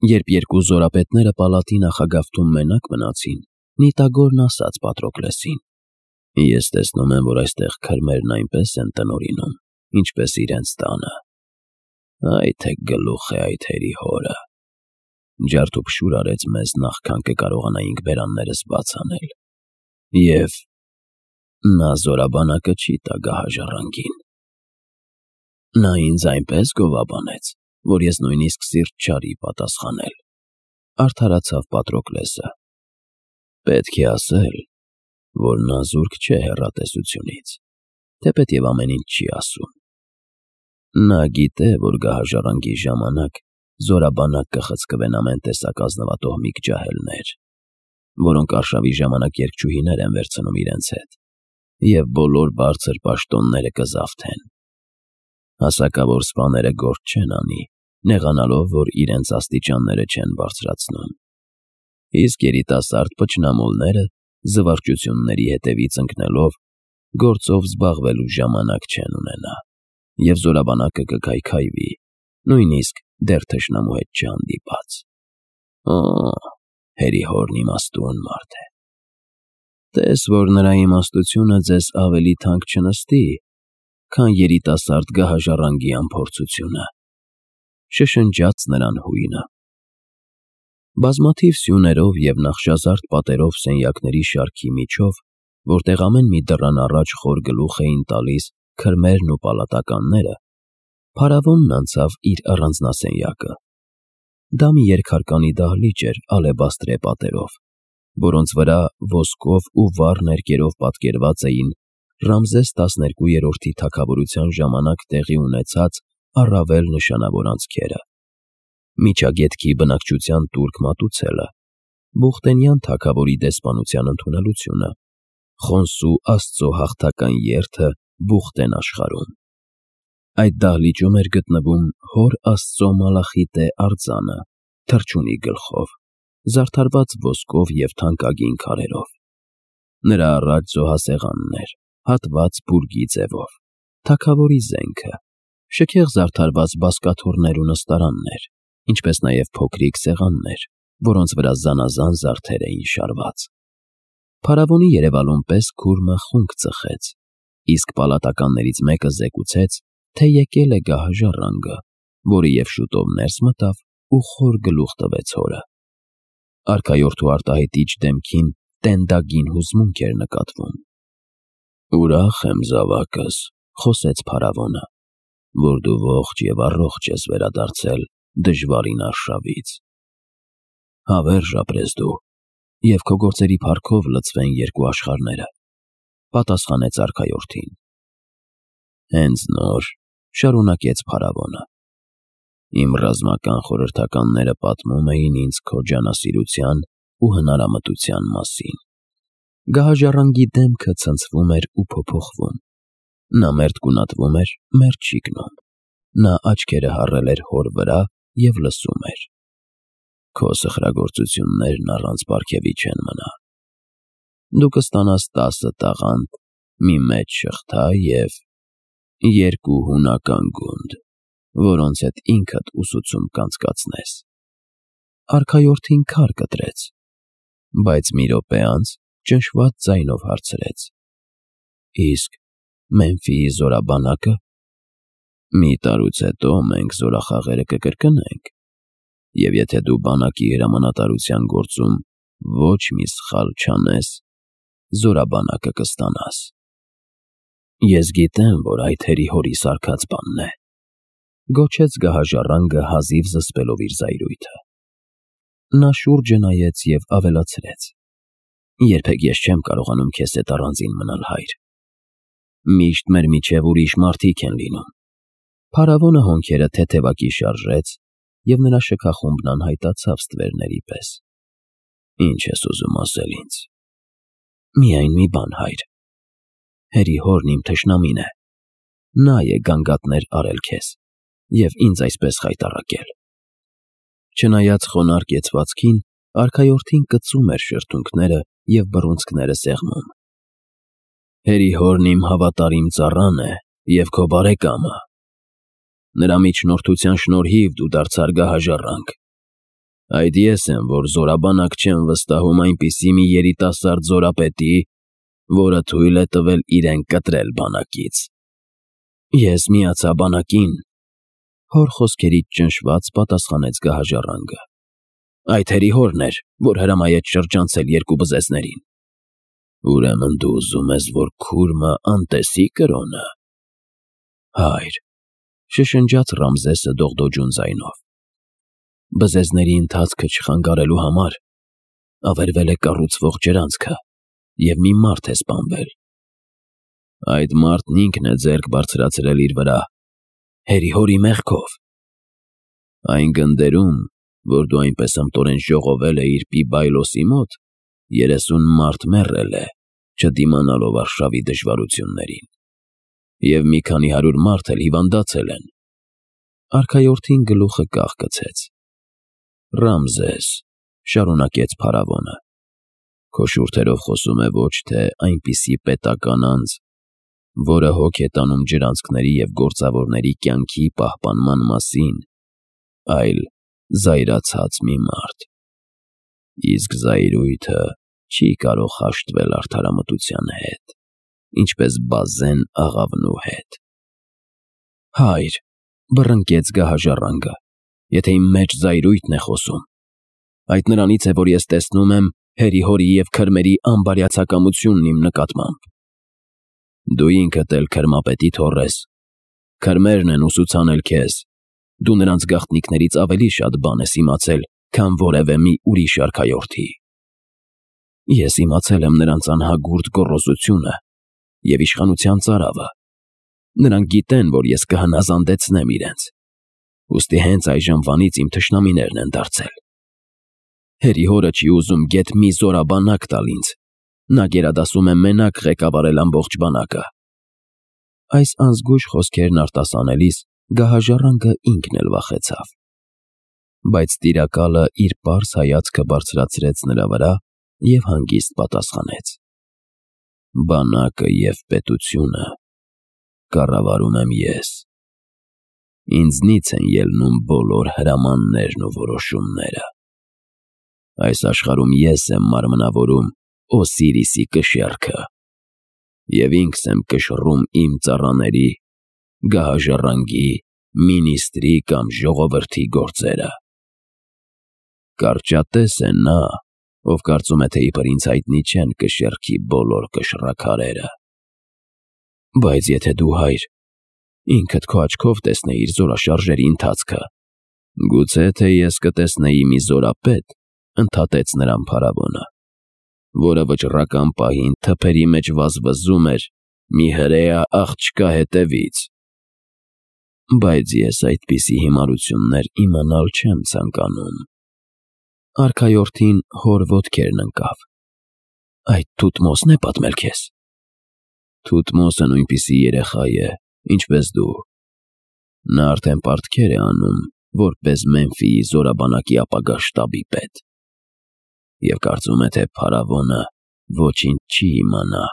Երբ երկու զորապետները պալատի նախագավթում մենակ մնացին, Նիտագորն ասաց Պատրոկլեսին. «Ես տեսնում եմ, որ այստեղ քրմերն այնպես են տնօրինում, ինչպես իրենց տանը։ Այ թե գլուխ է այդ հերի հորը։ Ջարդուփշուր արեց մեզ, նախքան կկարողանայինք բերաններս բաց անել։ Եվ նա զորաբանակը չի տա գահաժառանգին։ Նա ինձ այնպես գովաբանեց, որ ես նույնիսկ սիրտ չարի պատասխանել», արդարացավ Պատրոկլեսը։ «Պետք է ասել, որ նա զուրկ չէ հեռատեսությունից, թեպետև ամեն ինչ չի ասում։ Նա գիտե, որ գահաժառանգի ժամանակ զորաբանակ կխցկվեն ամեն տեսակ ազնվատոհմիկ ջահելներ, որոնք արշավի ժամանակ երգչուհիներ են վերցնում իրենց հետ, և բոլոր բարձր պաշտոնները կզավթեն։ Հասակավոր սպաները գործ չեն անի, նեղանալով, որ իրենց աստիճանները չեն բարձրացնում, իսկ երիտասարդ փչնամոլները, զվարճությունների հետևից ընկնելով, գործով զբաղվելու ժամանակ չեն ունենա, և զորաբանակը կքայքայվի, նույնիսկ դեռ թշնամու հետ չհանդիպած։ Օ, հերի հորն իմաստուն մարդ է։ Տես, որ նրա իմաստությունը ձեզ ավելի թանկ չնստի, քան երիտասարդ գահաժառանգի անփորձությունը», շշնջաց նրան հույնը։ Բազմաթիվ սյուներով և նախշազարդ պատերով սենյակների շարքի միջով, որտեղ ամեն մի դռան առաջ խոր գլուխ էին տալիս քրմերն ու պալատականները, փարավոնն անցավ իր առանձնասենյակը։ Դա մի երկհարկանի դահլիճ էր ալեբաստրե պատերով, որոնց վրա ոսկով ու վառ ներկերով պատկերված էին Ռամզես 12-րդի թագավորության ժամանակ տեղի ունեցած առավել նշանավոր անցքերը. Միջագետքի բնակչության տուրք մատուցելը, Բուխտենյան թագավորի դեսպանության ընդունելությունը, Խոնսու Աստծո հաղթական երթը Բուխտեն աշխարհում։ Այդ դահլիճում էր գտնվում Հոր Աստծո մալախիտե արձանը, թռչունի գլխով, զարդարված ոսկով և թանկագին քարերով։ Նրա առաջ զոհասեղանն էր, հատված բուրգի ձևով, թագավորի զենքը, շքեղ զարդարված բազկաթոռներ ու նստարաններ, ինչպես նաև փոքրիկ սեղաններ, որոնց վրա զանազան զարդեր էին շարված։ Փարավոնի երևալուն պես քուրմը խունկ ծխեց, իսկ պալատականներից մեկը զեկուցեց, թե եկել է գահաժառանգը, որը և շուտով ներս մտավ ու խոր գլուխ տվեց հորը։ Արքայորդու արտահայտիչ դեմքին տենդագին հուզմունք էր նկատվում։ «Ուրախ եմ, զավակս», խոսեց փարավոնը, «որ դու ողջ և առողջ ես վերադարձել դժվարին արշավից։ Հավերժ ապրես դու, և քո գործերի փառքով լցվեն երկու աշխարհները», պատասխանեց արքայորդին։ «Հենց նոր», շարունակեց փարավոնը, «իմ ռազմական խորհրդականները պատմում էին ինձ քո ջանասիրության ու հնարամտության մասին»։ Գահաժառանգի դեմքը ցնցվում էր ու փոփոխվում։ Նա մերթ գունատվում էր, մերթ շիկնում։ Նա աչքերը հառել էր հոր վրա և լսում էր։ «Քո սխրագործություններն առանց պարգևի չեն մնա։ Դու կստանաս 10 տաղանդ, մի մեծ շղթա և 2 հունական գունդ, որոնց հետ ինքդ ուսուցում կանցկացնես»։ Արքայորդին քար կտրեց, բայց մի րոպե անց ճնշված ձայնով հարցրեց. «Իսկ Մեմֆիի զորաբանակը»։ «Մի տարուց հետո մենք զորախաղերը կկրկնենք, և եթե դու բանակի հրամանատարության գործում ոչ մի սխալ չանես, զորաբանակը կստանաս»։ «Ես գիտեմ, որ այդ հերի հորի սարքած բանն է», գոչեց գահաժառանգը հազիվ զսպելով իր զայրույթը։ Նա շուրջը նայեց և ավելացրեց. «Երբեք ես չեմ կարողանում քեզ հետ առանձին մնալ, հայր։ Միշտ մեր միջև ուրիշ մարդիկ են լինում»։ Փարավոնը հոնքերը թեթևակի շարժեց, և նրա շքախումբն անհայտացավ ստվերների պես։ «Ինչ ես ուզում ասել ինձ»։ «Միայն մի բան, հայր։ Հերի հորն իմ թշնամին է։ Նա է գանգատներ արել քեզ և ինձ այսպես խայտառակել»։ Չնայած խոնարհ կեցվածքին, արքայորդին կծում էր շրթունքները և բռունցքները սեղմում։ «Հերի հորն իմ հավատարիմ ծառան է և քո բարեկամը։ Նրա միջնորդության շնորհիվ դու դարձար գահաժառանգ։ Այդ ես եմ, որ զորաբանակ չեմ վստահում այնպիսի մի երիտասարդ զորապետի, որը թույլ է տվել իրեն կտրել բանակից։ Ես միացա բանակին, հոր խոսքերից ճնշված պատասխանեց գահաժառանգը։ Այդ հերի հորն էր, որ հրամայեց շրջանցել երկու բզեզներին։ Ուրեմն դու ուզում ես, որ քուրմը անտեսի կրոնը։ Հայր, շշնջաց Ռամզեսը դողդոջուն ձայնով։ Բզեզների ընթացքը չխանգարելու համար ավերվել է կառուցվող ջրանցքը, և մի մարդ է սպանվել։ Այդ մարդն ինքն է ձեռք բարձրացրել իր վրա, հերի հորի մեղքով։ Այն գնդերում, որ դու այնպես ըմտորեն ժողովել էիր Պիբայլոսի մոտ, 30 մարդ մեռել է, չդիմանալով արշավի դժվարություններին, և մի քանի հարյուր մարդ էլ հիվանդացել են։ Արքայորդին գլուխը կախկցեց։ Ռամզես, շարունակեց փարավոնը, քո շուրթերով խոսում է ոչ թե այնպիսի պետական անձ, որը հոգ է տանում ջրանցքների և գործավորների կյանքի պահպանման մասին, այլ զայրացած մի մարդ։ Իսկ զայրույթը չի կարող հաշտվել արդարամտության հետ, ինչպես բազեն աղավնու հետ։ Հայր, բռնկեց գահաժառանգը, եթե իմ մեջ զայրույթն է խոսում, այդ նրանից է, որ ես տեսնում եմ հերի հորի և քրմերի անբարյացակամությունն իմ նկատմամբ։ Դու ինքդ էլ քրմապետի թոռ ես, քրմերն են ուսուցանել քեզ, դու նրանց գաղտնիքներից ավելի շատ բան ես իմացել, քան որևէ մի ուրիշ արքայորդի։ Ես իմացել եմ նրանց անհագուրդ գոռոզությունը և իշխանության ծարավը։ Նրանք գիտեն, որ ես կհնազանդեցնեմ իրենց, ուստի հենց այժմվանից իմ թշնամիներն են դարձել։ Հերի հորը չի ուզում գեթ մի զորաբանակ տալ ինձ, նա գերադասում է մենակ ղեկավարել ամբողջ բանակը։ Այս անզգույշ խոսքերն արտասանելիս գահաժառանգը ինքն էլ վախեցավ։ Բայց տիրակալը իր պարզ հայացքը բարձրացրեց նրա վրա և հանգիստ պատասխանեց. Բանակը և պետությունը կառավարում եմ ես։ Ինձնից են ելնում բոլոր հրամաններն ու որոշումները։ Այս աշխարհում ես եմ մարմնավորում Օսիրիսի կշեռքը և ինքս եմ կշռում իմ ծառաների, գահաժառանգի, մինիստրի կամ ժողովրդի գործերը։ Կարճատես է նա, ով կարծում է, թե իբր ինձ հայտնի չեն կշեռքի բոլոր կշռաքարերը։ Բայց եթե դու, հայր, ինքդ քո աչքով տեսնեիր զորաշարժերի ընթացքը, գուցե թե ես կտեսնեի մի զորապետ, ընդհատեց նրան փարավոնը, որը վճռական պահին թփերի մեջ վազվզում էր մի հրեա աղջկա հետևից։ Բայց ես այդպիսի հիմարություններ իմանալ չեմ ցանկանում։ Արքայորդին հոր ոտքերն ընկավ։ Այդ Թութմոսն է պատմել քեզ։ Թութմոսը նույնպիսի երեխա է, ինչպես դու։ Նա արդեն պարտքեր է անում, որպես Մեմֆիի զորաբանակի ապագա շտաբի պետ։ Եվ կարծում է, թե փարավոնը ոչինչ չի իմանա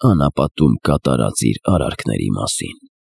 անապատում կատարած իր արարքների մասին։